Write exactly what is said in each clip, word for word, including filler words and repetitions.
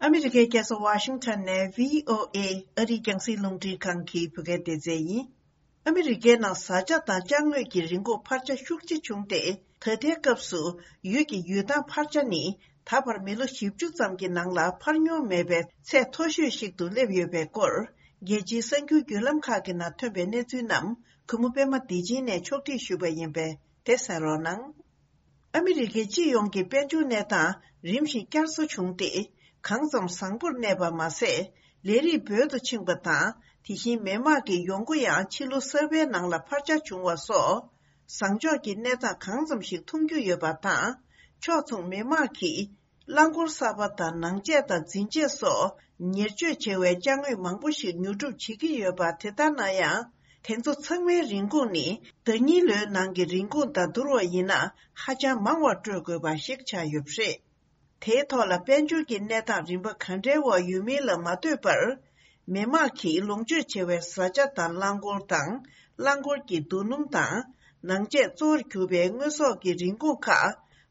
ཨ་མི་རི་ཀའི་རྒྱལ་ས་ཝ་ཤིང་ཊོན་ནས་བྷི་ཨོ་ཨེ་ཨ་རིའི་རྒྱང་སྲིང་རླུང་འཕྲིན་ཁང་གི་བོད་སྐད་སྡེ་ཚན་ཡིན། ཨ་མི་རི་ཀའི་ནང་བཟའ་བཅའ་དང་ཅ་དངོས་ཀྱི་རིན་གོང་འཕར་ཆ་ཤུགས་ཆེ་བྱུང་སྟེ། ད་ལྟའི་སྐབས་སུ་ཡུལ་གྱི་ཡུལ་ཐང་འཕར་ཆ་ནི་ད་བར་མི་ལོ་བཞི་བཅུ་ཙམ་གྱི་ནང་ལ་འཕར་མྱོང་མེད་པའི་ཚད་མཐོ་ཤོས་ཤིག་ཏུ་སླེབས་ཡོད་པའི་སྐོར། རྒྱལ་སྤྱིའི་གསར་འགྱུར་བརྒྱུད་ལམ་ཁག་གི་ནང་ཐོན་པའི་གནས་ཚུལ་རྣམས་གུས་མོ་པད་མ་བདེ་ཆེན་ནས་ཕྱོགས་སྒྲིག་ཞུས་པ་ཡིན་པས་དེ་གསན་རོགས་གནང་། ཨ་མི་རི་ཀའི་སྤྱི་ཡོངས་ཀྱི་དཔལ་འབྱོར་གནས་སྟངས་རིམ་བཞིན་བསྐྱར་གསོ་བྱུང་སྟེ། གང་ཙམ་བཟང་པོར་གནས་པ་མ་ཟད། ལས་རིགས་འབོལ་དུ་ཕྱིན་པ་དང་། དེ་བཞིན་མི་དམངས་ཀྱི་ཡོང་སྒོ་ཡང་ཕྱི་ལོ་གསར་པའི་ནང་ལ་འཕར་ཆ་བྱུང་བ་སོགས། བཟང་ཕྱོགས་ཀྱི་གནས་སྟངས་གང་ཙམ་ཞིག་མཐོང་རྒྱུ་ཡོད་པ་དང་། ཕྱོགས་མཚུངས་མི་དམངས་ཀྱིས། རླངས་འཁོར་གསར་པ་དང་ནང་ཆས་དང་འཛིན་ཆས་སོགས་ཉེར་སྤྱོད་བྱེད་པའི་ཅ་དངོས་མང་པོ་ཞིག་ཉོ་སྒྲུབ་བྱེད་ཀྱི་ཡོད་པ་དེ་ལྟར་ན་ཡང་། དེ་ཚོ་ཚང་མའི་རིན་གོང་ནི་ཟླ་ཉིན་ལོའི་ནང་གི་རིན་གོང་དང་བསྡུར་བ་ཡིན་ན་ཧ་ཅང་མང་བ་སྤྲོད་དགོས་པ་ཞིག་ཆགས་ཡོད་པ་རེད། དེའི་ཐོག་ལ་དཔལ་འབྱོར་གྱི་གནས་སྟངས་རིམ་པ་ག་འདྲའི་འོག་ཡོད་མིན་ལ་མ་ལྟོས་པར། མི་དམངས་ཀྱིས་ལོངས་སྤྱོད་བྱེད་པའི་བཟའ་བཅའ་དང་རླངས་འཁོར་དང་། རླངས་འཁོར་གྱི་རྡོ་སྣུམ་དང་། ནང་ཆས་གཙོ་བོར་གྱུར་པའི་དངོས་ཟོག་གི་རིན་གོང་ཁག་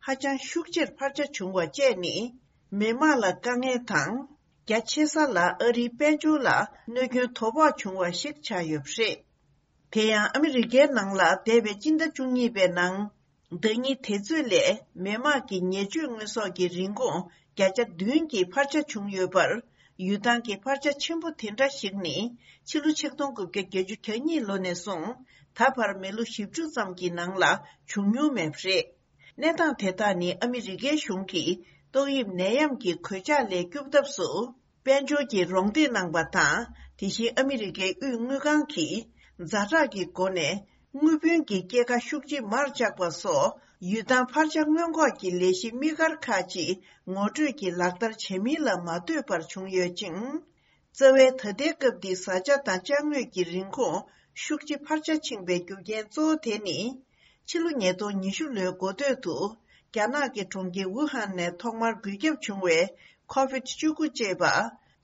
ཧ་ཅང་ཤུགས་ཆེར་འཕར་ཆ་བྱུང་བ་བཅས་ནི། མི་དམངས་ལ་དཀའ་ངལ་དང་། རྒྱ་ཆེ་ས་ལ་ཨ་རིའི་དཔལ་འབྱོར་ལ་གནོད་སྐྱོན་དོ་ཕོག་བྱུང་བ་ཞིག་ཆགས་ཡོད་པ་རེད། དེ་ཡང་ཨ་མི་རི་ཀའི་ནང་ལ་འདས་པའི་སྤྱི་ཟླ་བཅུ་གཉིས་པའི་ནང་། ཟླ་ཉིན་དེ་ཚོད་ལས་མི་དམངས་ཀྱི་ཉེར་སྤྱོད་དངོས་ཟོག་གི་རིན་གོང་བརྒྱ་ཆ་བདུན་གྱི་འཕར་ཆ་བྱུང་ཡོད་པར། ཡུལ་ཐང་གི་འཕར་ཆ་ཆེན་པོ་དེ་འདྲ་ཞིག་ནི། ཕྱི་ལོ་ཆིག་སྟོང་དགུ་བརྒྱ་བརྒྱད་ཅུ་གྱ་གཉིས་ལོ་ནས་བཟུང་ད་བར་མི་ལོ་བཞི་བཅུ་ཙམ་གྱི་ནང་ལ་བྱུང་མྱོང་མེད་པ་རེད། གནས་སྟངས་དེ་དག་ནི་ཨ་མི་རི་ཀའི་གཞུང་གིས་ཏོག་དབྱིབས་ནད་ཡམས་ཀྱི་གོད་ཆག་ལས་སྐྱོབ་ཐབས་སུ། དཔལ་འབྱོར་གྱི་རོགས་འདེགས་གནང་བ་དང་། དེ་བཞིན་ཨ་མི་རི་ཀའི་དབུས་དངུལ་ཁང་གིས་ཛ་དྲག་གི་སྒོ་ནས་དངུལ་བུན་གྱི་སྐྱེད་ཀ་ཤུགས་ཆེ་མར་བཅག་པ་སོགས། ཡུལ་ཐང་འཕར་ཆ་སྔོན་འགོག་གི་ལས་གཞི་དམིགས་བཀར་ཁག་ཅིག་ངོ་སྤྲོད་ཀྱིས་ལག་བསྟར་བྱས་མིན་ལ་མ་ལྟོས་པར་བྱུང་ཡོད་ཅིང་། རྩ་བའི་ད་ལྟའི་སྐབས་འདིའི་བཟའ་བཅའ་དང་ཅ་དངོས་ཀྱི་རིན་གོང་ཤུགས་ཆེ་འཕར་ཆ་ཕྱིན་པའི་རྒྱུ་རྐྱེན་གཙོ་བོ་དེ་ནི། ཕྱི་ལོ་ཉིས་སྟོང་ཉི་ཤུ་ལོའི་འགོ་སྟོད་དུ། རྒྱ་ནག་གི་གྲོང་ཁྱེར་ཝུ་ཧན་ནས་ཐོག་མར་འགོས་ཁྱབ་བྱུང་བའི་ཁོ་ཝིད་བཅུ་དགུ་ཅེས་པ།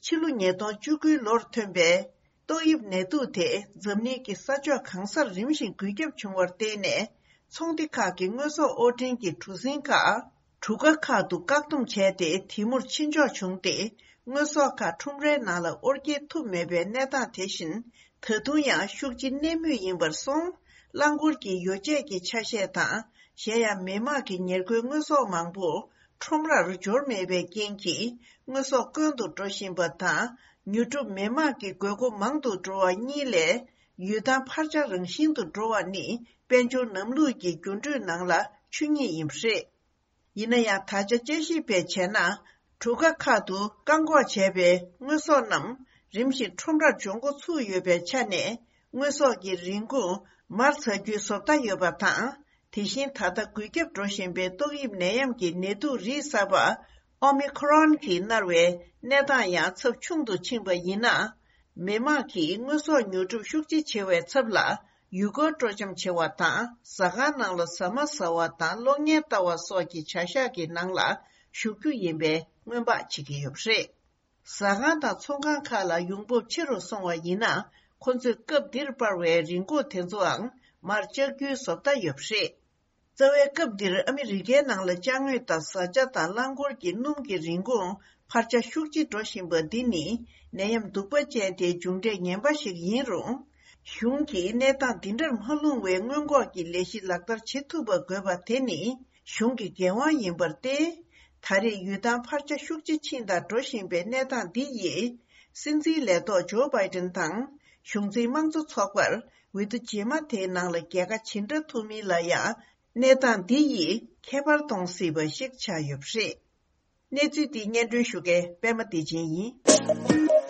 ཕྱི་ལོ་ཉིས་སྟོང་བཅུ་དགུའི་ལོར་ཐོན་པའི་ཏོག་དབྱིབས་ནད་དུག་དེ་འཛམ་གླིང་གི་ས་ཕྱོགས་གང་སར་རིམ་བཞིན་འགོས་ཁྱབ་བྱུང་བར་བརྟེན་ནས། ཚོང་སྡེ་ཁག་གི་དངོས་ཟོག་དབོར་འདྲེན་གྱི་གྲུ་གཟིངས་ཁག་གྲུ་ཁ་ཁག་ཏུ་བཀག་སྡོམ་བྱས་ཏེ་དེ་མུར་ཕྱིན་ཆོག་བྱུང་སྟེ། དངོས་ཟོག་ཁག་ཁྲོམ་རའི་ནང་ལ་དབོར་སྐྱེལ་ཐུབ་མེད་པའི་གནས་སྟངས་དེ་བཞིན་ད་དུང་ཡང་ཤུགས་ཆེ་གནས་མུས་ཡིན་པར་སོང་། རླངས་འཁོར་གྱི་ཡོ་བྱད་ཀྱི་ཆ་ཤས་དང་། གཞན་ཡང་མི་དམངས་ཀྱི་ཉེར་མཁོའི་དངོས་ཟོག་མང་པོ་ཁྲོམ་རར་འབྱོར་མེད་པའི་རྐྱེན་གྱིས། དངོས་ཟོག་དཀོན་དུ་འགྲོ་བཞིན་པ་དང་། ཉོ་སྒྲུབ་མི་དམངས་ཀྱི་དགོས་མཁོ་མང་དུ་འགྲོ་བ་གཉིས་ལས། ཡུལ་ཐང་འཕར་ཆ་རང་བཞིན་དུ་འགྲོ་བ་ནི། དཔལ་འབྱོར་ལམ་ལུགས་ཀྱི་འགྱུར་འགྲོས་ནང་ལ་ཆོས་ཉིད་ཡིན་པ་རེད། ཡིན་ན་ཡང་། ད་ཆ་དཔྱད་ཞིབ་པས་བྱས་ན། གྲུ་ཁ་ཁག་ཏུ་བཀག་འགོག་བྱས་པའི་དངོས་ཟོག་རྣམས། རིམ་བཞིན་ཁྲོམ་རར་འབྱོར་འགོ་ཚུགས་ཡོད་པའི་ཆ་ནས། དངོས་ཟོག་གི་རིན་གོང་མར་འཛེག་རྒྱུའི་བཟོ་ལྟ་ཡོད་པ་དང་། དེ་བཞིན་ད་ལྟ་འགོས་ཁྱབ་འགྲོ་བཞིན་པའི་ཏོག་དབྱིབས་ནད་ཡམས་ཀྱི་ནད་དུག་རིགས་གསར་པ། ཨོ་མི་ཁོ་རོན་གྱིས་མནར་བའི་གནས་སྟངས་ཡང་ཚབས་ཆུང་དུ་ཕྱིན་པ་ཡིན་ན། མི་དམངས་ཀྱིས་དངོས་ཟོག་ཉོ་སྒྲུབ་ཤུགས་ཆེ་བྱེད་པའི་ཚབ་ལ། ཡུལ་སྐོར་སྤྲོ་འཆམ་བྱེད་པ་དང་། ཟ་ཁང་ནང་ལ་ཟ་མ་ཟ་བ་དང་གློག་བརྙན་ལྟ་བ་སོགས་ཀྱི་བྱ་གཞག་གི་ནང་ལ་ཞུགས་རྒྱུ་ཡིན་པའི་སྔོན་དཔག་བྱེད་ཀྱི་ཡོད་པ་རེད། ཟ་ཁང་དང་ཚོང་ཁང་ཁག་ལ་ཡོང་འབབ་ཆེ་རུ་སོང་བ་ཡིན་ན། ཁོ་ཚོས་སྐབས་འདིར་སྤར་བའི་རིན་གོང་དེ་ཚོའང་མར་བཅག་རྒྱུའི་བཟོ་ལྟ་ཡོད་པ་རེད། རྩ་བའི་སྐབས་འདིར་ཨ་མི་རི་ཀའི་ནང་ལ་ཅ་དངོས་དང་བཟའ་བཅའ་དང་རླངས་འཁོར་གྱི་སྣུམ་གྱི་རིན་གོང་འཕར་ཆ་ཤུགས་ཆེ་འགྲོ་བཞིན་པ་འདི་ནི་ནད་ཡམས་གདུག་པ་ཅན་དེའི་མཇུག་འབྲས་ངན་པ་ཞིག་ཡིན་རུང་། གཞུང་གིས་གནས་སྟངས་འདི་འདྲར་མ་ལྷུང་བའི་སྔོན་འགོག་གི་ལས་གཞི་ལག་བསྟར་བྱེད་ཐུབ་པ་དགོས་པ་དེ་ནི་གཞུང་གི་འགན་དབང་ཡིན་པར་བརྟེན། ད་རེས་ཡུལ་ཐང་འཕར་ཆ་ཤུགས་ཆེ་ཕྱིན་དང་འགྲོ་བཞིན་པའི་གནས་སྟངས་འདི་ཡིས། སྲིད་འཛིན་ལས་ཐོག་ཇོ་བྷའི་ཏན་དང་གཞུང་འཛིན་དམངས་གཙོ་ཚོགས་པར་འོས་བསྡུ་རྗེས་མ་དེའི་ནང་ལ་རྒྱལ་ཁ་ཇི་འདྲ་ཐོབ་མིན་ལ་ཡང་། གནས་སྟངས་འདི་ཡིས་ཁྱད་པར་གཏོང་སྲིད་པ་ཞིག་ཆགས་ཡོད་པ་རེད། གནས་ཚུལ་འདི་སྙན་སྒྲོན་ཞུ་མཁན་པད་མ་བདེ་ཆེན་ཡིན།